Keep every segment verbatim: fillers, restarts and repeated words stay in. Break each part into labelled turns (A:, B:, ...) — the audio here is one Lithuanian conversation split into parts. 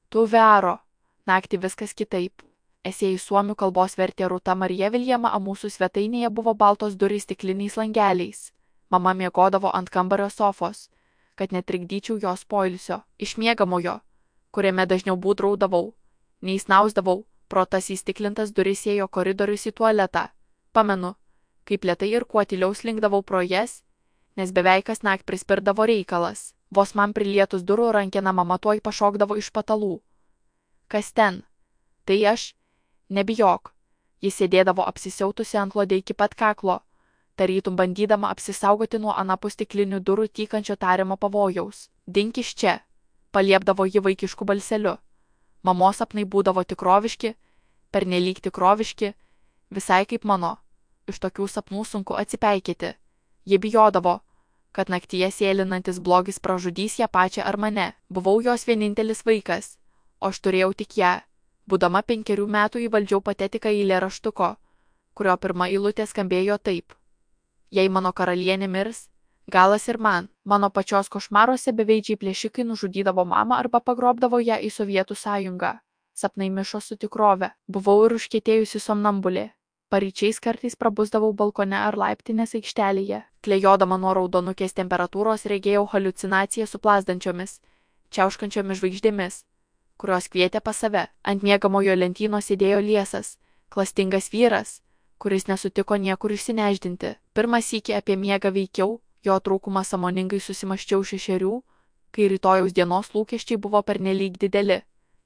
A: Tu vero. Naktį viskas kitaip. Esė į suomių kalbos vertė Rūta Marija Viljama, o mūsų svetainėje buvo baltos durys stikliniais langeliais. Mama miegodavo ant kambario sofos, kad netrikdyčiau jos poilsio. Iš miegamojo, kuriame dažniau būdraudavau, neįsnausdavau, pro tas įstiklintas duris ėjo koridorius į tualetą. Pamenu, kaip lėtai ir kuo tyliau slinkdavau pro jas, nes beveik kas nakt prispirdavo reikalas. Vos man prilietus durų rankeną mama tuoj pašokdavo iš patalų. Kas ten? Tai aš. Nebijok. Jis sėdėdavo apsisiautusi antklode iki pat kaklo, tarytum bandydama apsisaugoti nuo anapus stiklinių durų tykančio tariamo pavojaus. Dink iš čia, paliepdavo ji vaikišku balseliu. Mamos sapnai būdavo tikroviški, pernelyg tikroviški, visai kaip mano. Iš tokių sapnų sunku atsipeikėti. Ji bijodavo, kad naktyje sėlinantis blogis pražudys ją pačią ar mane. Buvau jos vienintelis vaikas, o aš turėjau tik ją. Būdama penkerių metų įvaldžiau patetiką eilėraštuko, kurio pirma eilutė skambėjo taip. Jei mano karalienė mirs, galas ir man. Mano pačios košmaruose beveidžiai plėšikai nužudydavo mamą arba pagrobdavo ją į Sovietų sąjungą. Sapnai mišo su tikrove. Buvau ir užkietėjusi somnambulė. Paryčiais kartais prabusdavau balkone ar laiptinės aikštelėje. Klejodama nuo raudonukės temperatūros regėjau haliucinaciją su plazdančiomis, čiauškančiomis žvaigždėmis, kurios kvietė pas save. Ant miegamojo lentynos sėdėjo liesas, klastingas vyras, kuris nesutiko niekur išsineždinti. Pirmą sykį apie miegą veikiau, jo trūkumą sąmoningai susimaščiau šešerių, kai rytojaus dienos lūkesčiai buvo pernelyg dideli.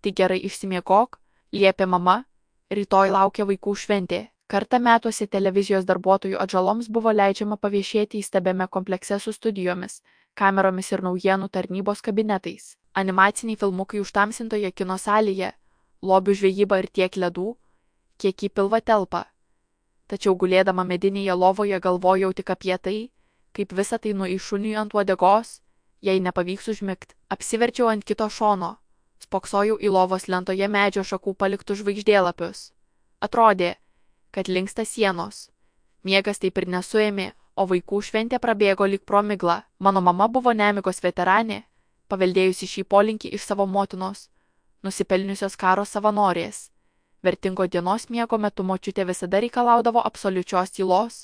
A: Tik gerai išsimiegok, liepė mama, rytoj laukia vaikų šventė. Kartą metuose televizijos darbuotojų atžaloms buvo leidžiama paviešėti įstabiame komplekse su studijomis, kameromis ir naujienų tarnybos kabinetais. Animaciniai filmukai užtamsintoje kino salėje, lobių žvejyba ir tiek ledų, kiek į pilvą telpa. Tačiau gulėdama medinėje lovoje galvojau tik apie tai, kaip visą tai nueis šuniui ant uodegos, jei nepavyks užmigt. Apsiverčiau ant kito šono, spoksojau į lovos lentoje medžio šakų paliktus žvaigždėlapius. Atrodė, kad linksta sienos. Miegas taip ir nesuėmė, o vaikų šventė prabėgo lyg pro miglą. Mano mama buvo nemigos veteranė, paveldėjusi šį polinkį iš savo motinos, nusipelniusios karo savanorės. Vertingo dienos miego metu močiutė visada reikalaudavo absoliučios tylos,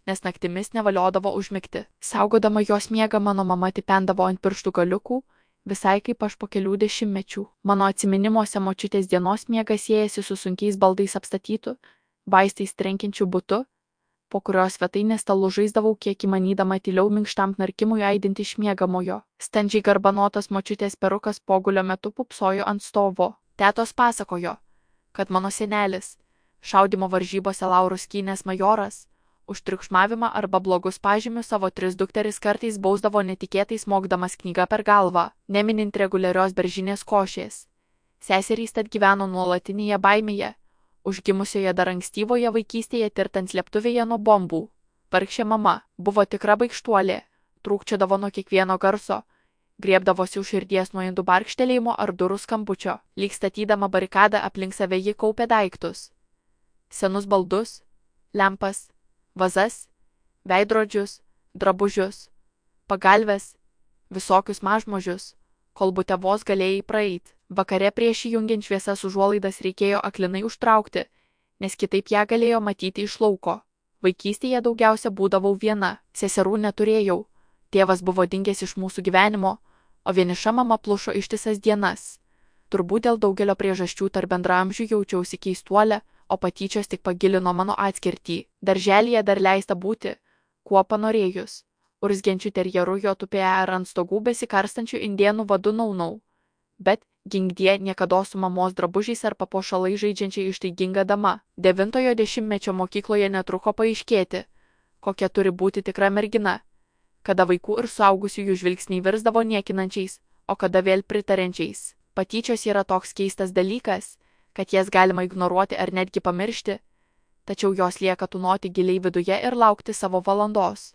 A: nes naktimis nevaliodavo užmigti. Saugodama jos miegą mano mama tipendavo ant pirštų galiukų, visai kaip aš po kelių dešimtmečių. Mano atsiminimuose močiutės dienos miegas siejasi su sunkiais baldais apstatytu, vaistais trenkiančiu butu, po kurios svetainės stalų žaisdavau kiek įmanydama tyliau minkštam knarkimui aidinti iš miegamojo. Standžiai garbanotas močiutės perukas pogulio metu pupsojo ant stovo. Tetos pasakojo, kad mano senelis, šaudymo varžybose laurų skynęs majoras, už triukšmavimą arba blogus pažymius savo tris dukteris kartais bausdavo netikėtai smogdamas knygą per galvą, neminint reguliarios beržinės košės. Seserys tad gyveno nuolatinėje baimėje, užgimusioje dar ankstyvoje vaikystėje tirtant slėptuvėje nuo bombų. Vargšė mama buvo tikra baikštuolė, trūkčiodavo nuo kiekvieno garso, griebdavosi už širdies nuo indų barkštelėjimo ar durų skambučio. Lyg statydama barikadą aplink save ji kaupė daiktus. Senus baldus, lempas, vazas, veidrodžius, drabužius, pagalves, visokius mažmožius, kol bute vos galėjai praeit. Vakare prieš įjungiant šviesas užuolaidas reikėjo aklinai užtraukti, nes kitaip ją galėjo matyti iš lauko. Vaikystėje daugiausia būdavau viena, seserų neturėjau, tėvas buvo dingęs iš mūsų gyvenimo, o vieniša mama plušo ištisas dienas. Turbūt dėl daugelio priežasčių tarp bendraamžių jaučiausi keistuolė, o patyčios tik pagilino mano atskirtį. Darželyje dar leista būti, kuo panorėjus. Urzgiančių terjerų jo tupėje ar ant stogų besikarstančių indėnų vadu naunau. Bet ginkdie niekada su mamos drabužiais ar papuošalai žaidžiančiai ištaiginga dama. Devintojo dešimtmečio mokykloje netruko paaiškėti, kokia turi būti tikra mergina, kada vaikų ir suaugusiųjų žvilgsniai virsdavo niekinančiais, o kada vėl pritariančiais. Patyčios yra toks keistas dalykas, kad jas galima ignoruoti ar netgi pamiršti, tačiau jos lieka tūnoti giliai viduje ir laukti savo valandos.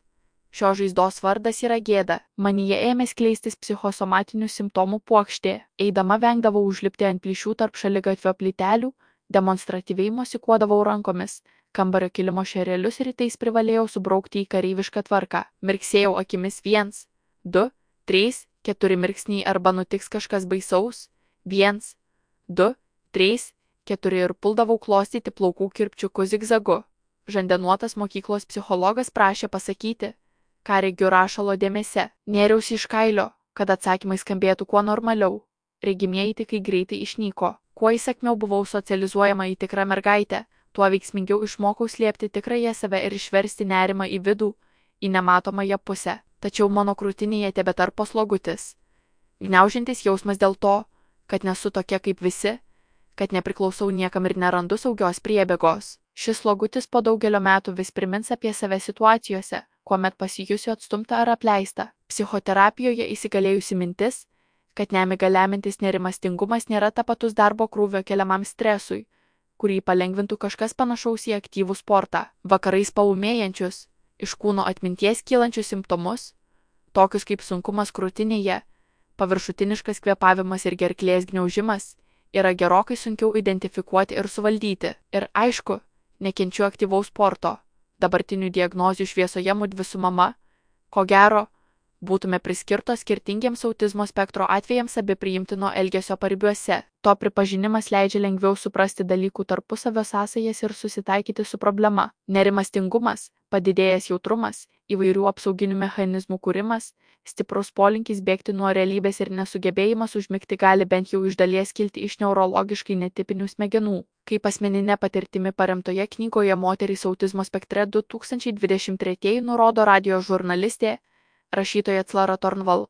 A: Šios žaizdos vardas yra gėda. Manyje ėmė skleistis psichosomatinių simptomų puokštė. Eidama vengdavau užlipti ant plyšių tarp šaligatvio plytelių, demonstratyviai mosikuodavau rankomis, kambario kilimo šerelius rytais privalėjau subraukti į kareivišką tvarką. Mirksėjau akimis viens, du, trys, keturi mirksniai arba nutiks kažkas baisaus, viens, du, trys, keturi ir puldavau klostyti plaukų kirpčiukų zigzagu. Žandenuotas mokyklos psichologas prašė pasakyti, ką regiu rašalo dėmese. Nėriausi iš kailio, kad atsakymai skambėtų kuo normaliau. Regimieji tikai greitai išnyko. Kuo įsakmiau buvau socializuojama į tikrą mergaitę, tuo veiksmingiau išmokau slėpti tikrąją save ir išversti nerimą į vidų, į nematomąją pusę. Tačiau mano krūtinėje tebetarpo slogutis. Gniaužiantis jausmas dėl to, kad nesu tokia kaip visi, kad nepriklausau niekam ir nerandu saugios priebėgos. Šis slogutis po daugelio metų vis primins apie save situacijose, kuomet pasijusiu atstumta ar apleista. Psichoterapijoje įsigalėjusi mintis, kad nemiga lemintis nerimastingumas nėra tapatus darbo krūvio keliamam stresui, kurį palengvintų kažkas panašaus į aktyvų sportą. Vakarais paūmėjančius, iš kūno atminties kylančius simptomus, tokius kaip sunkumas krūtinėje, paviršutiniškas kvėpavimas ir gerklės gniaužimas, yra gerokai sunkiau identifikuoti ir suvaldyti. Ir aišku, nekenčiu aktyvaus sporto. Dabartinių diagnozių šviesoje mudvi su mama, ko gero, būtume priskirtos skirtingiems autizmo spektro atvejams abi priimtino elgesio paribiuose. To pripažinimas leidžia lengviau suprasti dalykų tarpusavio sąsajas ir susitaikyti su problema. Nerimastingumas, padidėjęs jautrumas, įvairių apsauginių mechanizmų kūrimas, stiprus polinkis bėgti nuo realybės ir nesugebėjimas užmigti gali bent jau iš dalies kilti iš neurologiškai netipinių smegenų. Kaip asmeninė patirtimi paremtoje knygoje Moterys autizmo spektre du tūkstančiai dvidešimt tretieji nurodo radijo žurnalistė, rašytoja Clara Tornval,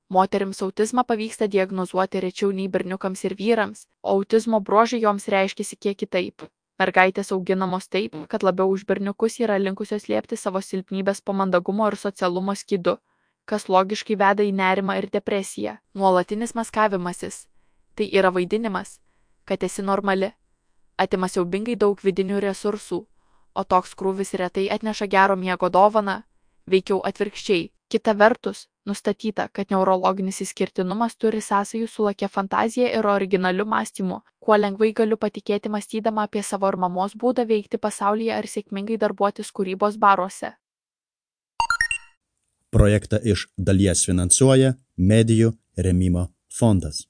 A: moterims autizmą pavyksta diagnozuoti rečiau nei berniukams ir vyrams, o autizmo bruožai joms reiškiasi kiek kitaip. Mergaitės auginamos taip, kad labiau už berniukus yra linkusios slėpti savo silpnybės po mandagumo ir socialumo skydu, kas logiškai veda į nerimą ir depresiją. Nuolatinis maskavimasis – tai yra vaidinimas, kad esi normali, atima siaubingai daug vidinių resursų, o toks krūvis retai atneša gero miego dovaną, veikiau atvirkščiai. Kita vertus, nustatyta, kad neurologinis išskirtinumas turi sąsajų su lakia fantazija ir originaliu mąstymu, kuo lengvai galiu patikėti mąstydama apie savo ir mamos būdą veikti pasaulyje ar sėkmingai darbuotis kūrybos baruose.
B: Projektą iš dalies finansuoja Medijų rėmimo fondas.